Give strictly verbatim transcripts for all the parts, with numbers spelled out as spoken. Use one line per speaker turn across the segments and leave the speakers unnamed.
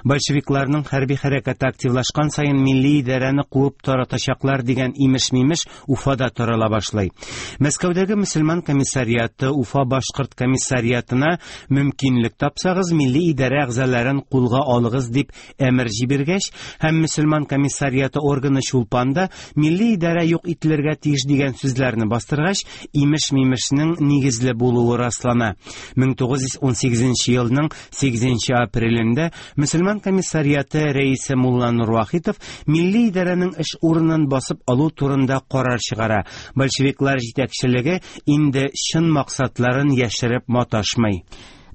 Большевикларның хәрби хәрәкәте активлашкан саен милли идарәне куып таратачаклар дигән имеш-мимеш Уфада тарала башлый. Мәскәүдәге мөселман комиссариаты Уфа башкорт комиссариатына мөмкинлек тапсагыз милли идарә әгъзаларын кулга алыгыз дип әмер җибәргәч һәм мөселман комиссариаты органы Чулпанда милли идарә юк ителергә тиеш дигән сүзләрне бастыргач, имеш-мимешнең нигезле булуы раслана. мең тугыз йөз унсигезенче елның сигезенче апрелендә мөселман комиссариаты рәисе Мулланур Вахитов милли идарәнең эш урынын басып алу турында карар чыгара. Большевиклар җитәкчелеге инде чын максатларын яшереп маташмый.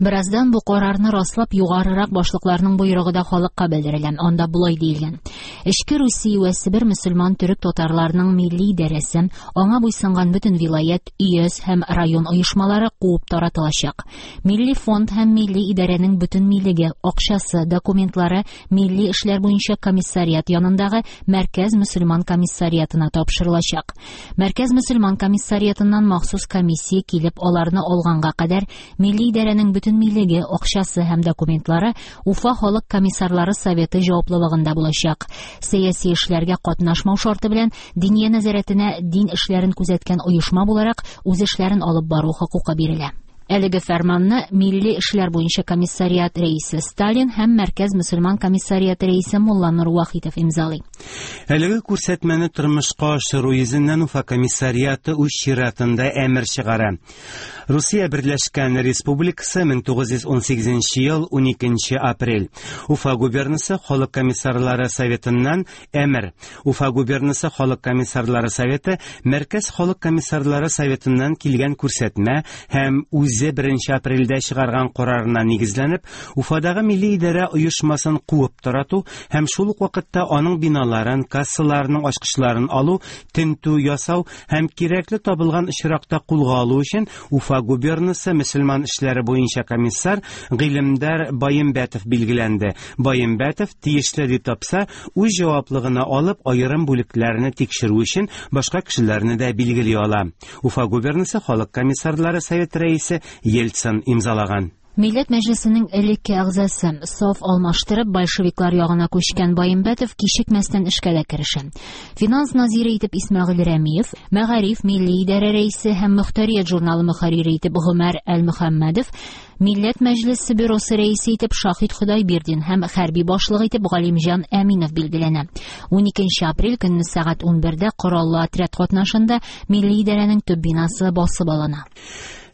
Бераздан бу карарны раслап югарырак башлыкларның боерыгы да халыкка белдерелә. Анда болай диелгән: Эчке Русия вә Себер мөселман төрек татарларының милли идарәсе, аңа буйсынган бөтен вилаят, өяз һәм район оешмалары куып таратылачак. Милли фонд һәм милли идарәнең бөтен милеге, акчасы, документлары милли эшләр буенча комиссариат янындагы Мәркәз мөселман комиссариатына тапшырылачак. Мәркәз мөселман комиссариатыннан махсус комиссия килеп аларны алганга кадәр милли идарәнең бөтен милеге, акчасы һәм документлары Уфа халык комиссарлары советы җаваплылыгында булачак. Сәяси эшләргә катнашмау шарты белән Диния нәзарәтенә дин эшләрен күзәткән оешма буларак үз эшләрен алып бару хокукы бирелә. Әлеге фәрманны Милли эшләр буенча комиссариат рәисе Сталин һәм Мәркәз мөселман комиссариаты рәисе Мулланур Вахитов имзалый.
Әлеге күрсәтмәне тормышка ашыру йөзеннән Уфа комиссариаты үз чиратында әмер чыгара. Русия Берләшкән Республикасы мең тугыз йөз унсигезенче ел уникенче апрель. Уфа губернасы халык комиссарлары советыннан әмер. Уфа губернасы халык комиссарлары советы Мәркәз халык комиссарлары советыннан килгән күрсәтмә һәм үз үзе беренче апрельдә чыгарган карарына нигезләнеп, Уфадагы милли идарә оешмасын куып тарату һәм шул ук вакытта аның биналарын, кассаларының ачкычларын алу, тентү ясау һәм кирәкле табылган очракта кулга алу өчен Уфа губернасы мөселман эшләре буенча комиссар Гыйлемдар Баембәтов билгеләнде. Баембәтов тиешле дип тапса, үз җаваплыгына алып, аерым бүлекләрне тикшерү өчен башка кешеләрне дә билгели ала. Уфа губернасы халык комиссарлары советы рәисе Ельцин имзалаган.
Милләт Мәҗлесенең элекке әгъзасы саф алмаштырып большевиклар ягына күчкән Баембәтов кичекмәстән эшкә дә керешә. Финанс назире итеп Исмәгыйль Рәмиев, Мәгариф милли идарә рәисе һәм Мөхтәрият журналы мөхәррире итеп Гомәр Әл-Мөхәммәдов, Милләт Мәҗлесе бюросы рәисе итеп Шахид Худайбирдин һәм хәрби башлыгы итеп Галимҗан Әминов билгеләнә. Уникенче апрель көнне сәгать унбердә кораллы отряд катнашында милли идарәнең төп бинасы басып алына.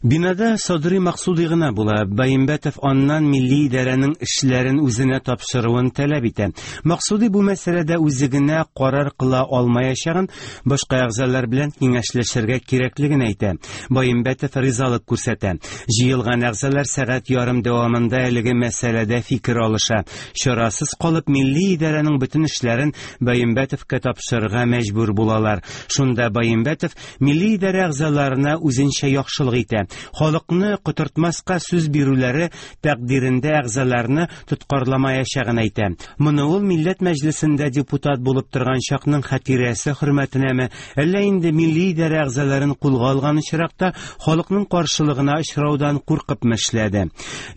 Бинада Садри Максуди гына була. Баембәтов аннан милли идарәнең эшләрен үзенә тапшыруын таләп итә. Максуди бу мәсьәләдә үзе генә карар кыла алмаячагын, башка әгъзалар белән киңәшләшергә кирәклеген әйтә. Баембәтов ризалык күрсәтә. Җыелган әгъзалар сәгать ярым дәвамында әлеге мәсьәләдә фикер алыша. Чарасыз калып милли идарәнең бөтен эшләрен Баембәтовка тапшырырга мәҗбүр булалар. Шунда Баембәтов милли идарә әгъзаларына үзенчә яхшылык итә. Халыкны котыртмаска сүз бирүләре тәкъдирендә әгъзаларны тоткарламаячагын әйтә. Моны ул Милләт Мәҗлесендә депутат булып торган чакның хатирәсе хөрмәтенәме, әллә инде милли идарә әгъзаларын кулга алган очракта халыкның каршылыгына очраудан куркып эшләде.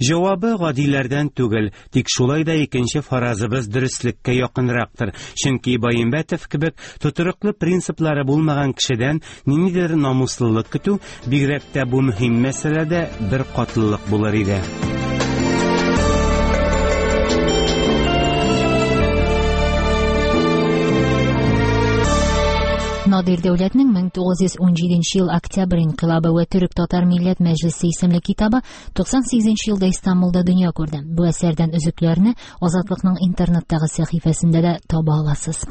Җавабы гадиләрдән түгел, тик шулай да икенче фаразыбыз дөреслеккә якынрактыр. Чөнки Баембәтов кебек тотрыклы принциплары булмаган кешедән ниндидер намуслылык көтү, бигрәк тә бу мөһим мәсьәләдә бер катлылык булыр иде.
Надир Дәүләтнең мең тугыз йөз унҗиденче ел октябрь инкыйлабы вә Төрек татар милләт мәҗлесе исемле китабы туксан сигезенче елда Истанбулда дөнья күрде. Бу әсәрдән өзекләрне Азатлыкның интернеттагы сәхифәсендә дә таба аласыз.